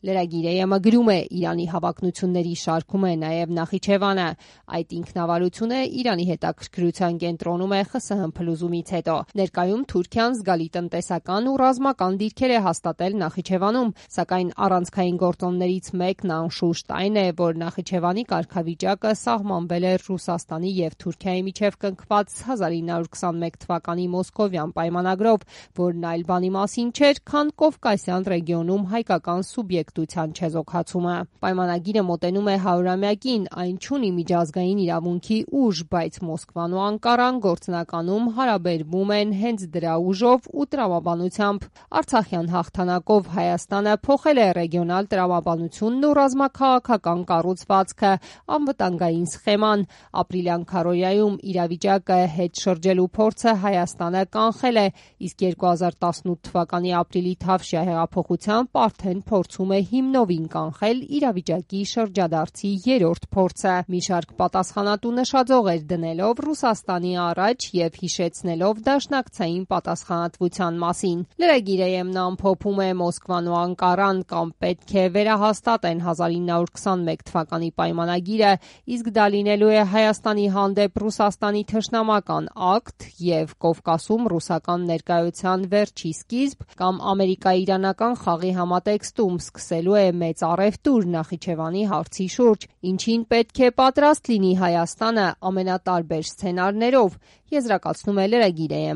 Լրագիրը գրում է Իրանի հավակնությունների շարքում է նաև Նախիջևանը։ Այդ ինքնավարությունը Իրանի հետաքրքրության կենտրոնում է ԽՍՀՄ փլուզումից հետո։ Ներկայում Թուրքիան զգալի տնտեսական ու ռազմական դիրքեր է հաստատել Նախիջևանում, սակայն առանցքային գործոններից մեկն անշուշտ այն է, որ Նախիջևանի կարգավիճակը սահմանվել է Ռուսաստանի և Թուրքիայի միջև կնքված 1921 թվականի Մոսկովյան պայմանագրով, որն այլ բանի մասին չէր, քան Կովկասյան ռեգիոնում հայկական սուբյեկտության չեզոքացումը։ Պայմանագիրը մոտենում է 100-ամյակին, այն չունի միջազգային իրավունքի ուժ, բայց Մոսկվան ու Անկարան գործնականում հարաբերվում են հենց դրա ուժով ու տրամաբանությամբ։ Արցախյան հաղթանակով Հայաստանը փոխել է ռեգիոնալ տրամաբանությունն ու ռազմաքաղաքական կառուցվածքը, անվտանգային սխեման։ Ապրիլյան քարոզարիայում իրավիճակը հետ շրջելու փորձը Հայաստանը կանխել է, իսկ 2018 թվականի ապրիլի Թավշյա հեղափոխությամբ արդեն փորձում է հիմնովին կանխել իրավիճակի շրջադարձի երրորդ փորձը։ Մի շարք պատասխանատու նշաձողեր դնելով Ռուսաստանի առաջ եւ հիշեցնելով դաշնակցային պատասխանատվության մասին։ Լրագիրը ամփոփում է Մոսկվան ու Անկարան կամ պետք է վերահաստատեն 1921 թվականի պայմանագիրը, իսկ դա լինելու է Հայաստանի հանդեպ Ռուսաստանի թշնամական ակտ եւ Կովկասում ռուսական ներկայության վերջի սկիզբ կամ ամերիկա-իրանական խաղի համատեքստում սկսելու է մեծ առևտուր Նախիջևանի հարցի շուրջ, ինչին պետք է պատրաստ լինի Հայաստանը ամենատարբեր սցենարներով, եզրակացնում է լրագիրը։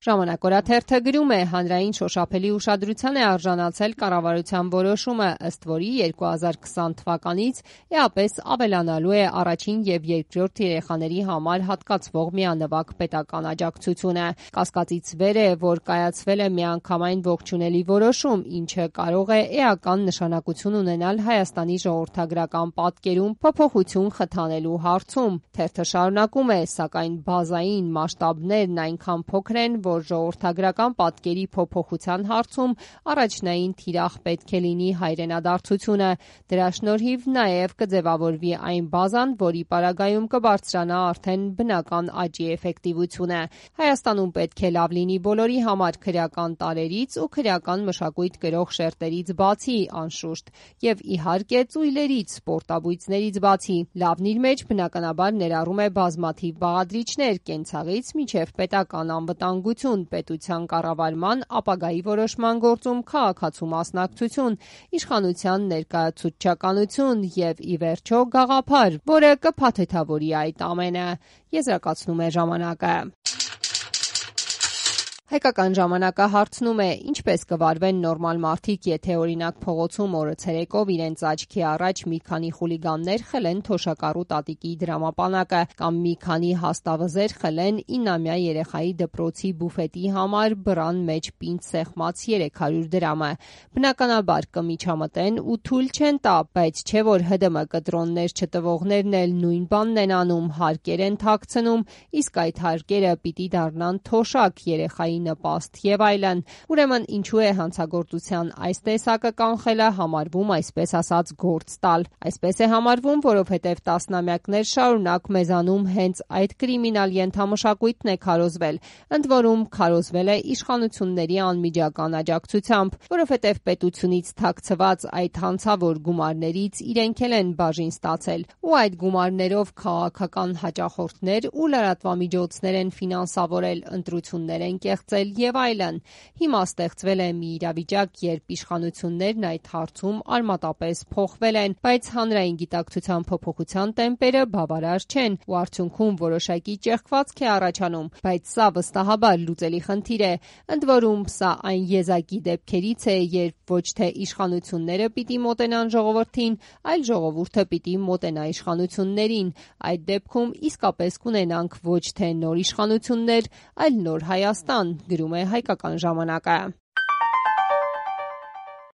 Ժամանակ օրաթերթը գրում է. հանրային շոշափելի ուշադրության է արժանացել կառավարության որոշումը, ըստ որի 2020 թվականից էապես ավելանալու է առաջին և երկրորդ երեխաների համար հատկացվող միանվագ պետական աջակցությունը։ Կասկածից վեր է, որ կայացվել է միանգամայն ողջունելի որոշում, ինչը կարող է էական նշանակություն ունենալ Հայաստանի ժողովրդագրական պատկերում փոփոխություն խթանելու հարցում։ Թերթը շարունակում է, սակայն բազային մասշտաբներն այնքան փոքր են, որ ժողովրդագրական պատկերի փոփոխության հարցում առաջնային թիրախ պետք է լինի հայրենադարձությունը։ Դրա շնորհիվ նաև կձևավորվի այն բազան, որի պարագայում կբարձրանա արդեն բնական աճի էֆեկտիվությունը։ Հայաստանում պետք է լավ լինի բոլորի համար քրեական տարրերից ու քրեական մշակույթ կրող շերտերից բացի, անշուշտ, եւ իհարկե ծույլերից, սպորտաբույծներից բացի։ Լավն իր մեջ բնականաբար ներառում է բազմաթիվ բաղադրիչներ՝ կենցաղից մինչև պետական անվտանգություն, պետության կառավարման, ապագայի որոշման գործում քաղաքացու մասնակցություն, իշխանության ներկայացուցչականություն եւ ի վերջո գաղափար, որը կփաթեթավորի այդ ամենը, եզրակացնում է ժամանակը։ Հայկական ժամանակը հարցնում է. ինչպես կվարվեն նորմալ մարդիկ, եթե օրինակ փողոցում օրը ցերեկով իրենց աչքի առաջ մի քանի խուլիգաններ խլեն թոշակառու տատիկի դրամապանակը կամ մի քանի հաստավզեր խլեն 9-ամյա երեխայի դպրոցի բուֆետի համար բռան մեջ պինդ սեղմած 300 դրամը։ Բնականաբար կմիջամտեն ու թույլ չեն տա, բայց չէ որ ՀԴՄ կտրոններ չտվողներն էլ նույն բանն են անում, հարկեր են թաքցնում, իսկ այդ հարկերը պիտի դառնան թոշակ, երեխայի նպաստ եւ այլն։ Ուրեմն ինչու է հանցագործության այս տեսակը կանխելը համարվում այսպես ասած գործ տալ։ Այսպես է համարվում, որովհետեւ տասնամյակներ շարունակ մեզանում հենց այդ կրիմինալ ենթամշակույթն է քարոզվել, ընդ որում քարոզվել է իշխանությունների անմիջական աջակցությամբ, որովհետեւ պետությունից թաքցված այդ հանցավոր գումարներից իրենք են բաժին ստացել ու այդ գումարներով քաղաքական հաճախորդներ ու լրատվամիջոցներ են ֆինանսավորել, ընտրություններ են կեղծել եւ այլն։ Հիմա ստեղծվել է մի իրավիճակ, երբ իշխանություններն այդ հարցում արմատապես փոխվել են, բայց հանրային գիտակցության փոփոխության տեմպերը բավարար չեն ու արդյունքում որոշակի ճեղքվածք է առաջանում, բայց սա վստահաբար լուծելի խնդիր է, ընդ որում սա այն եզակի դեպքերից է, երբ ոչ թե իշխանությունները պիտի մոտենան ժողովրդին, այլ ժողովուրդը պիտի մոտենա իշխանություններին։ Այդ դեպքում իսկապես կունենանք ոչ թե նոր իշխանություններ, այլ նոր Հայաստան, գրում է Հայկական ժամանակը։